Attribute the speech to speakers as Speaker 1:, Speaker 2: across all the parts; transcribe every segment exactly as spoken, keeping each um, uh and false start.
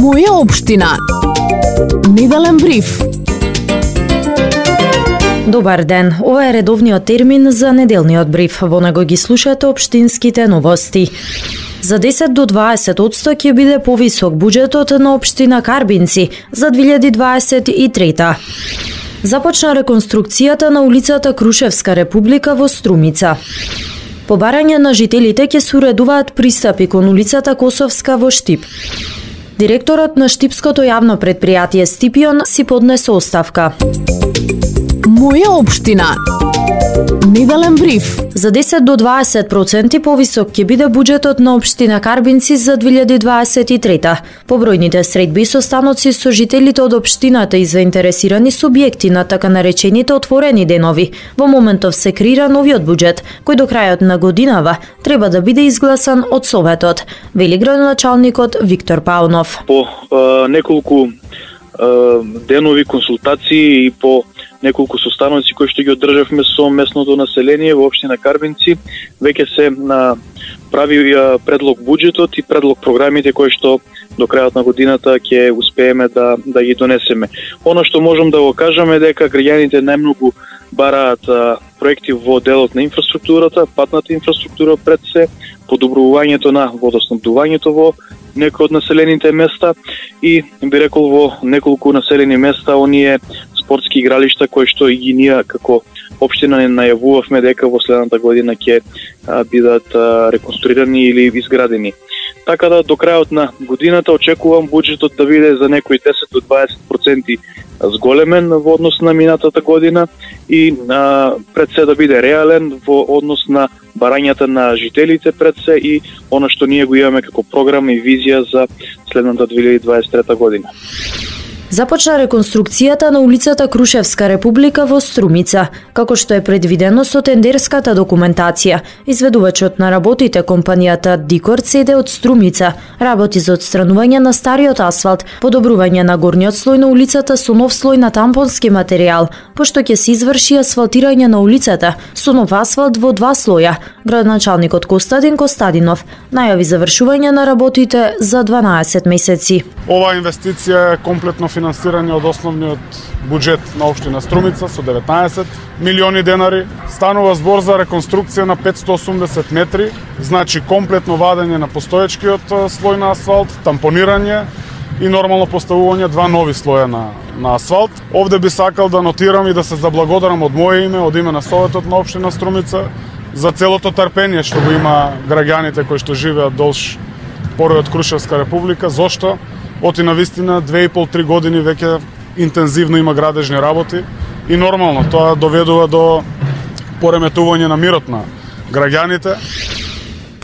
Speaker 1: Моја општина. Неделен бриф.
Speaker 2: Добар ден, ова е редовниот термин за неделниот бриф. Во него ги слушате општинските новости. За десет до дваесет одсто ќе биде повисок буџетот на општина Карбинци за две илјади дваесет и трета. Започна реконструкцијата на улицата Крушевска република во Струмица. По барање на жителите ќе се уредуваат пристапи кон улицата Косовска во Штип. Директорот на Штипското јавно предпријатие Стипион си поднесе оставка.
Speaker 1: Моја општина. Неделен бриф.
Speaker 2: За десет до дваесет проценти повисок ќе биде буџетот на општина Карбинци за две илјади дваесет и трета. Побројните средби и состаноци со жителите од општината и заинтересирани субјекти на така наречените отворени денови. Во моментов се креира новиот буџет, кој до крајот на годинава треба да биде изгласан од Советот, вели градоначалникот Виктор Паунов.
Speaker 3: По е, неколку е, денови консултации и по неколку состаноци кои што ги одржавме со местното население во општина Карбинци, веќе се на прави предлог буџетот и предлог програмите кои што до крајот на годината ќе успееме да да ги донесеме. Она што можам да го кажам е дека граѓаните најмногу бараат а, проекти во делот на инфраструктурата, патната инфраструктура пред се, подобрувањето на водоснабдувањето во некои од населените места и би рекол во неколку населени места оние спортски игралишта кои што и ги ние како општина не најавувавме дека во следната година ќе бидат а, реконструирани или изградени. Така да до крајот на годината очекувам буџетот да биде за некои десет до дваесет проценти зголемен во однос на минатата година и а, пред се да биде реален во однос на барањата на жителите пред се и она што ние го имаме како програма и визија за следната две илјади дваесет и трета година.
Speaker 2: Започна реконструкцијата на улицата Крушевска република во Струмица, како што е предвидено со тендерската документација. Изведувачот на работите, компанијата Дикор Цеде од Струмица, работи за отстранување на стариот асфалт, подобрување на горниот слој на улицата со нов слој на тампонски материјал, пошто ќе се изврши асфалтирање на улицата со нов асфалт во два слоја. Градоначалникот Костадин Костадинов најави завршување на работите за дванаесет месеци.
Speaker 4: Ова инвестиција е комплетно финансирање од основниот буџет на општина Струмица со деветнаесет милиони денари. Станува збор за реконструкција на петстотини и осумдесет метри, значи комплетно вадење на постоечкиот слој на асфалт, тампонирање и нормално поставување два нови слоја на, на асфалт. Овде би сакал да нотирам и да се заблагодарам од моје име, од име на Советот на општина Струмица, за целото трпение што го има граѓаните кои што живеат долж поројот Крушевска република. Зошто? Оти на вистина две и пол три години веќе интензивно има градежни работи и нормално тоа доведува до пореметување на мирот на граѓаните.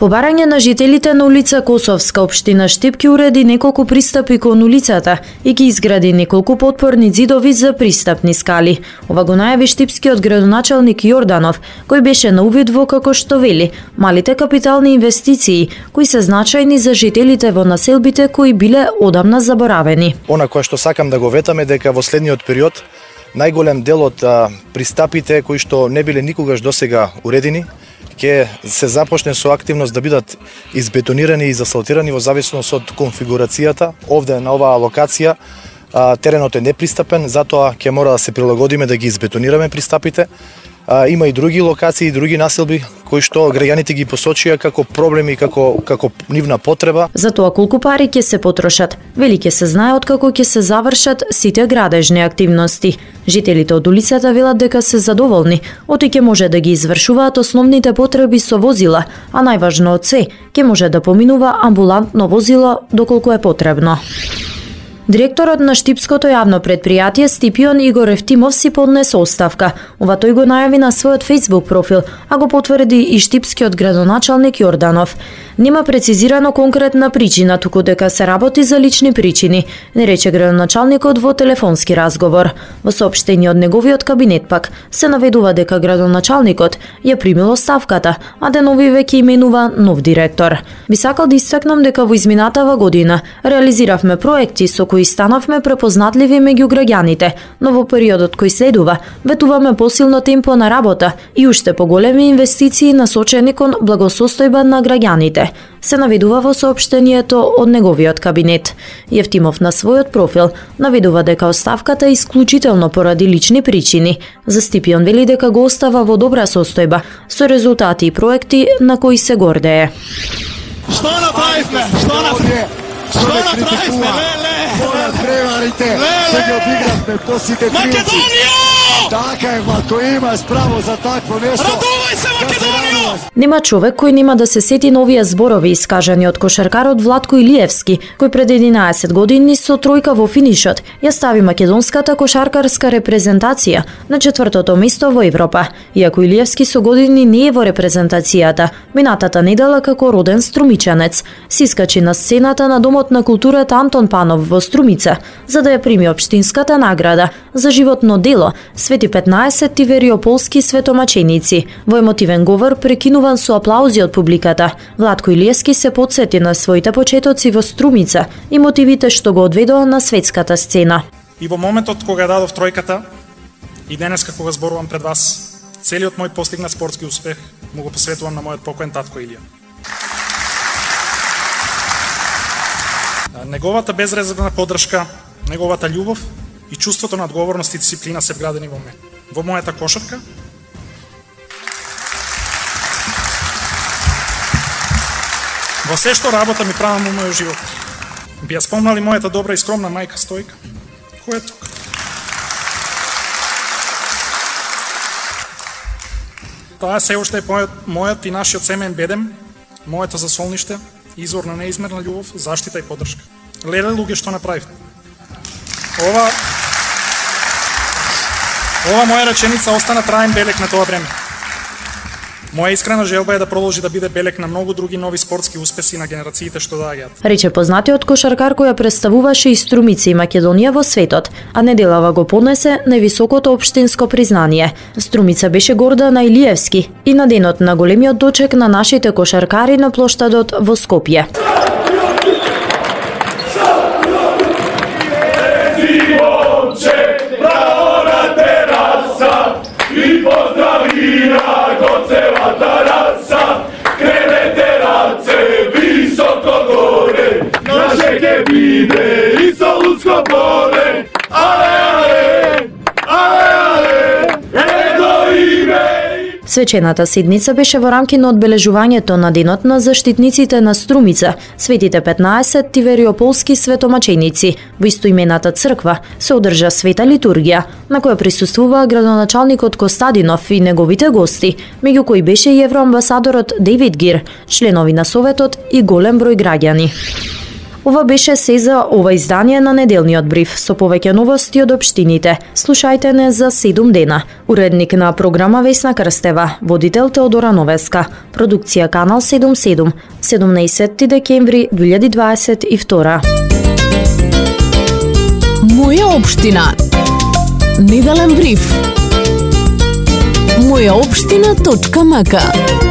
Speaker 2: По барање на жителите на улица Косовска, општина Штип ќе уреди неколку пристапи кон улицата и ќе изгради неколку потпорни ѕидови за пристапни скали. Ова го најави штипскиот градоначалник Јорданов, кој беше на увид во, како што вели, малите капитални инвестиции кои се значајни за жителите во населбите кои биле одамна заборавени.
Speaker 5: Она кое што сакам да го ветаме дека во следниот период најголем дел од а, пристапите кои што не биле никогаш досега уредени ќе се започне со активност да бидат избетонирани и засалтирани во зависност од конфигурацијата. Овде на оваа локација а, теренот е непристапен, затоа ќе мора да се прилагодиме да ги избетонираме пристапите. А, има и други локации и други населби кои што граѓаните ги посочија како проблеми, како како нивна потреба.
Speaker 2: За тоа колку пари ќе се потрошат, вели ќе се знае откако ќе се завршат сите градежни активности. Жителите од улицата велат дека се задоволни, оти ќе може да ги извршуваат основните потреби со возила, а најважно од се, ќе може да поминува амбулантно возило доколку е потребно. Директорот на Штипското јавно предпријатие Стипион Игор Евтимов си поднесе оставка. Ова тој го најави на својот Facebook профил, а го потврди и штипскиот градоначалник Јорданов. Нема прецизирано конкретна причина, туку дека се работи за лични причини, не рече градоначалникот во телефонски разговор. Во соопштение од неговиот кабинет пак се наведува дека градоначалникот ја примил оставката, а денови веќе именува нов директор. Би сакал да истакнам дека во изминатава година реализиравме проекти со кои кои станавме препознатливи меѓу граѓаните, но во периодот кој следува, ветуваме посилно темпо на работа и уште поголеми инвестиции насочени кон благосостојба на граѓаните, се наведува во соопштението од неговиот кабинет. Јефтимов на својот профил наведува дека оставката е исклучително поради лични причини. За Стипион вели дека го остава во добра состојба, со резултати и проекти на кои се гордее.
Speaker 6: Што направивме? Што направивме? Што направивме? Леле! Моја преварите, се ги одигравме посите принци. Македонија! Така е, Владко, имаш право за такво нешто. Радувај се, Македонија!
Speaker 2: Нема човек кој нема да се сети на овие зборови искажани од кошаркарот Владко Илиевски, кој пред единаесет години со тројка во финишот ја стави македонската кошаркарска репрезентација на четвртото место во Европа. Иако Илиевски со години не е во репрезентацијата, минатата недела како роден струмичанец се искачи на сцената на Домот на културата Антон Панов во Струмица за да ја прими општинската награда за животно дело Свети петнаесет Тивериополски светомаченици. Во емотивен говор прекинуван со аплаузи од публиката, Владко Илиевски се потсети на своите почетоци во Струмица и мотивите што го одведоа на светската сцена.
Speaker 7: И во моментот кога дадов тројката и денеска кога зборувам пред вас, целиот мој постигнат спортски успех му го посветувам на мојот покоен татко Илија. Неговата безрезервна поддршка, неговата љубов и чувството на одговорност и дисциплина се вградени во мене. Во мојата кошарка, во се што работа ми правам во мојот живот. Би ја спомнали мојата добра и скромна мајка Стојка, која е тука. Таа се уште е мојот, мојот и нашиот семеен бедем, моето засолниште, извор на неизмерна љубов, заштита и поддршка. Леле луѓе што направивте. Ова Ова моја реченица остана траен белег на тоа време. Моја искрена желба е да продолжи да биде белег на многу други нови спортски успеси на генерациите што доаѓаат.
Speaker 2: Рече познатиот кошаркар која представуваше и Струмица и Македонија во светот, а неделава го понесе највисокото општинско признание. Струмица беше горда на Илиевски и на денот на големиот дочек на нашите кошаркари на плоштадот во Скопје.
Speaker 8: I pozdravina go celata rasa, krenete race visoko gore, naše kebine i Solunsko pole, ale, ale, ale, ale, едно име.
Speaker 2: Свечената седница беше во рамки на одбележувањето на денот на заштитниците на Струмица, Светите петнаесет Тивериополски светомаченици. Во истоимената црква се одржа света литургија, на која присуствуваа градоначалникот Костадинов и неговите гости, меѓу кои беше и евроамбасадорот Дейвид Гир, членови на Советот и голем број граѓани. Ова беше се за ова издание на неделниот бриф со повеќе новости од општините. Слушајте не за седум дена. Уредник на програма Весна Крстева, водител Теодора Новеска, продукција Канал седумдесет и седум, седумнаесети декември две илјади дваесет и втора.
Speaker 1: Моја општина. Неделен бриф. моја општина точка м к